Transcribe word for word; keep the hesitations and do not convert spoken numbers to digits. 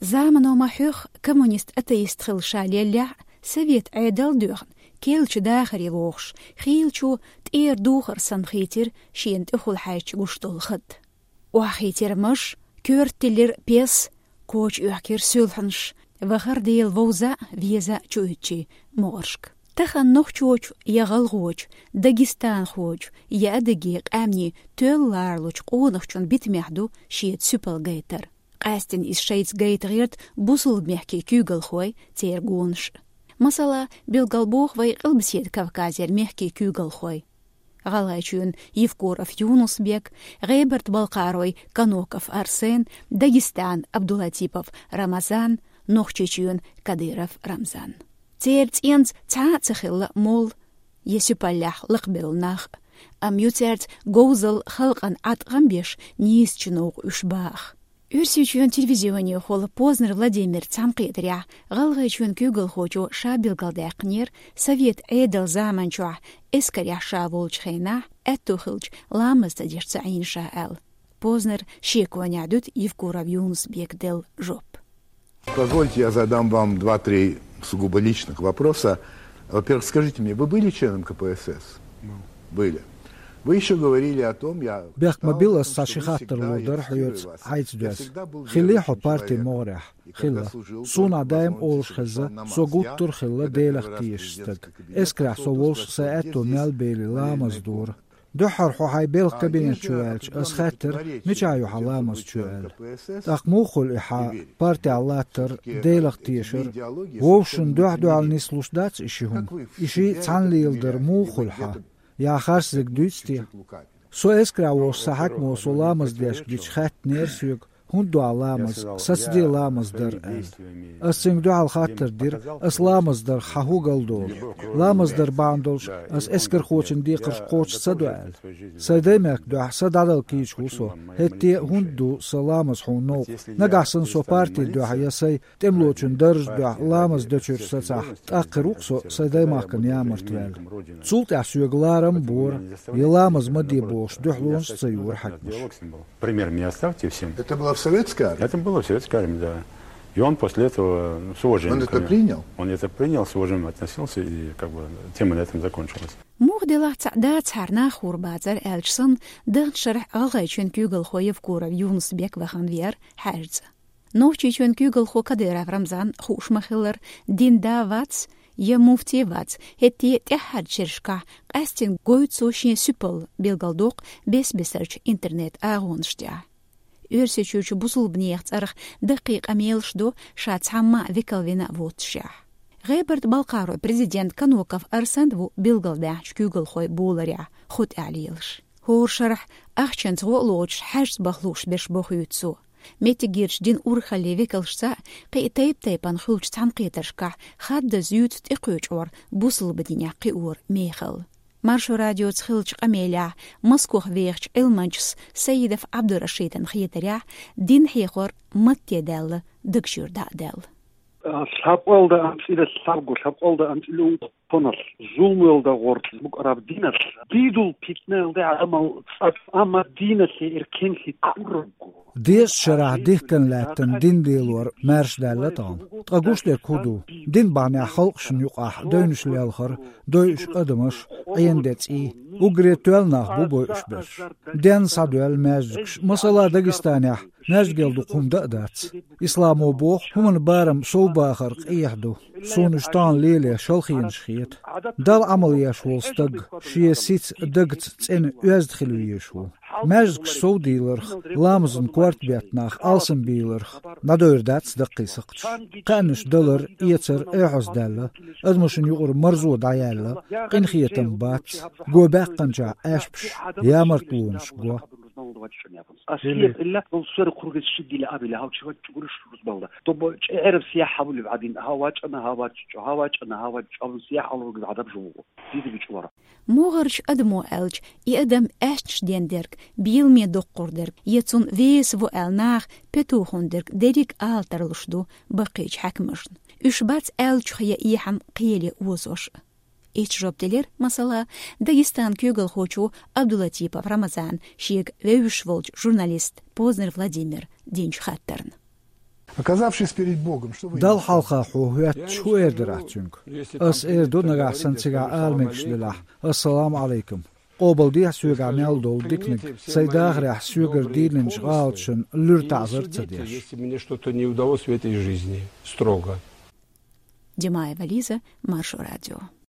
Замано ма хьоьху, коммунист-атеист хилла ша леллехь а, совет Ӏедал а доьхна, керлачу дахаре вогӀуш, хийлачо тӀера духар санна хийцира шена тӀехула хьаьжча гуш долу хатт. Охьахийцира маш, коьрта тиллира пес, коча оьхкира суьлхьанаш, вахара Дела вовза а, веза а чуьйттачийн могӀаршка. Тахана нохчочу я гӀалгӀочу, дагестанхочу я адыги къаьмнийн тоьлла ларалучу къонахчун битамехь ду шеца суьпал гайтар. Къаьсттина иза шайца гайта гӀерта бусалба мехкийн куьйгалхой, церан гонаш. Масала, билгалбоху вай Къилбаседа Кавказера мехкийн куьйгалхой. ГӀалгӀайчоьнан Евкуров Юнус-Бек, ГӀебарта-Балкхаройн Каноков Арсен, Дагестанан Абдулатипов Рамазан, Нохчийчоьнан Кадыров Рамзан. Церан цӀенца цхьа а ца хилла молла я суьпаллехь лакхабевлла нах, амма ю цаьрца говзалла, халкъана Ӏаткъам беш нийсачу новкъа уьш баха. Оьрсийчоьнан телевизионехула Познер Владимира цхьаьнакхетарехь, ГӀалгӀайчоьнан куьйгалхочо ша билгалдаьккхинера совет Ӏедалан заманчохь эскарехь ша волчу хенахь аьтту хиллачу ламаз ца деш ца Ӏийна ша аьлла. Познер шеконехь дуьту Евкуров Юнус-Бека делла жоп. Позвольте, я задам вам два-три сугубо личных вопроса. Во-первых, скажите мне, вы были членом К П С С? Были. Вы ещё говорили о том, я... Бехк ма билла, ас цхьа ши хаттар лур дара хьоьца, хьайца доьзна. Хилли хьо партин могӀарехь? Хилла. Суна даим олуш хезна, со гуттар а хилла Делах тешаш стаг. Эскарехь со волуш, сайн аьтто мел бели, ламаз дора. Дуьххьара хьо хьайн белхан кабинет чу ваьлча, ас хаьттира, мичахь ю хьан ламаз чоь аьлла. ТӀаккха муха хуьлу и хьан партехь латтар, Делах тешар? Вовшашна дуьхь-дуьхьал нислуш дац и ши хӀума? И шиъ цхьаьна леладар муха хуьлу хьан? Я харцдерг дуьйцу те? Со эскарехь волуш, сан хьаькамо со ламаз деш гича хаьттинера соьга, хӀунда до хьан ламаз, сацаде ламаз дар аьлла. Ас цуьнга дуьхьал хаттар дира, ас ламаз дарх хьан хӀун галдолу? Ламаз дар бахьана долуш ас эскархочун декхарш кхочуш ца до аьлла. Сайн даймехкан дуьхьа са дӀадала кийча ву со, хӀетте а хӀунда ду сан ламаз хьуна новкъа? Нагахь санна со партин дуьхьа я сайн тӀемалочун даржан дуьхьа ламаз дечуьра сацахь, тӀаккха хир ву-кх со сайн даймахкана ямарта ваьлла. Цул тӀаьхьа соьга ларам а бора, я ламаз ма де бохуш, дуьхьалонаш а ца йора хьаькамаша. Пример мне оставьте всем. Это было в советской армии? Это было в советской армии, да. И он после этого с уважением... Он это ко мне принял? Он это принял, с уважением относился, и как бы тема на этом закончилась. Муха делахь цхьа дацахьара нах хуур бацара аьлча санна, даханчу шарахь ГӀалгӀайчоьнан куьйгалхо Евкуров Юнус-Бек вахана веара хьаьжцӀа. Нохчийчоьнан куьйгалхо Кадыров Рамзан хууш ма-хиллара, дин да вац, я муфти вац, хӀетте а тӀаьххьарчу шерашкахь къаьсттина гойту цо шен суьпал, билгалдоккху бес-бесарчу интернет-агӀонаш тӀехь. Оьрсийчуьрчу бусулбанех цӀарах даккхий къамелаш до ша цхьамма а векал вина а воццушехь. ГӀебарта-Балкхаройн президент Каноков Арсен ву билгалдаьхначу куьйгалхойн боларехь хӀу тӀехь лелаш. ХӀора шарахь ахчанца гӀо а лоцуш, хьаьжцӀа баха лууш берш бохуьйту цо. Меттигерчу динан урхаллийн векалшца а, кхин а тайп-тайпана хуьлучу цхьаьнакхетаршкахь хаддаза юьйцу тӀекхечу гӀор бусулба динехь кхиоран мехалла. Маршо радиоца хиллачу къамелехь Москох вехачу Ӏилманчас Саидов Ӏабдурашидана хетарехь, дин хьехор матте даьлла дагчуьра дӀа а даьлла. Лъабкъалда амцӀила лъабго, лъабкъалда амцӀила ункъо тонал, зулмалда гӀортла мукъараб динарла, дийдул питнаялда Ӏамал цӀа, амма диналъе эркенлъи куррагго. Дезачу шарахь дихкан лаьттан дин лелор маьрша даьлла тахана. Ткъа гуш дерг хӀун ду? Дин бахьанехь халкъашна юкъахь девнаш лелхар, дойуш адамаш, Ӏен де цӀий. Уггаре тоьлла нах бу бойуш берш. Денна схьадоьлла маьждигаш, масала, Дагестанехь маьждигал дукха хӀума дан а дац. Исламо боху, хӀуманан барам совбахар къехьа ду. Суна уьш тахана лело шалхенаш хета. Далла Ӏамал еш волу стаг шен сица, дагца цӀена, оьзда хила везаш ву. Маьждигаш совдийларх, ламазан корта беттанах алсамбийларх дӀадойр дац даккхий сакхташ. Кхаьънаш далар, эцар эхьаздаьлла, адамашна юкъара марзо дӀаяьлла, къинхетам бац, го баьккхинчохь аьшпаш, ямартлонаш го. Ас хетта, иллат болу сера кхургаш ши гила абила, хьал чу ваьчча гуриш рузбалда. Тобо чӀегӀераб сияхь хьабулиб гӀадин, хьа вачӀана, хьа вачӀчӀо, хьа вачӀана, хьа вачӀчӀо, абун сияхь алургаб гӀадаб жумугу. Дизига чӀора. МогӀарчу адамо аьлча, и адам аьшнаш дендерг, беламе доккхур дерг, я цунна веса ву аьлла наха петухун дерг дерриг а ала тарлуш ду баккхийчу хьаькамашна. Уьш бац аьллачух я эхьан кхеле озош. Иштта жоп делира, масала, Дагестанан куьйгалхочо Абдулатипов Рамазана шега вевзаш волчу журналиста Познер Владимира динчу хаттарна. Оказавшись перед Богом, что вы ему Далла хьалха хьо хӀоьтташ, хӀу эр дара ахь цуьнга? Ас эр ду, нагахь санна цигахь ала мегаш делахь: «Ассаламу Ӏалайкум. Къобалдехьа соьгахь мел долу диканиг, сайн дахарехь соьгара дийлинчу гӀалаташна луьра таӀзар а ца деш». Если мне что-то не удалось в этой жизни, строго. Димаева Лиза, Маршо радио.